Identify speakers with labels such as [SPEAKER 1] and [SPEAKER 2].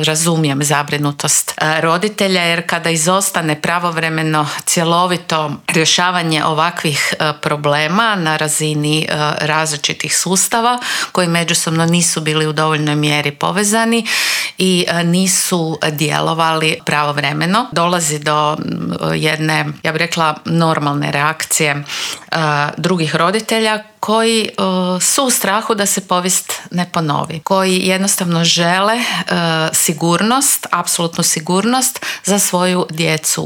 [SPEAKER 1] razumijem zabrinutost roditelja, jer kada izostane pravovremeno cjelovito rješavanje ovakvih problema na razini različitih sustava koji međusobno nisu bili u dovoljnoj mjeri povezani i nisu djelovali pravovremeno, dolazi do jedne, ja bih rekla, normalne reakcije drugih roditelja koji su u strahu da se povijest ne ponovi, koji jednostavno žele sigurnost, apsolutnu sigurnost za svoju djecu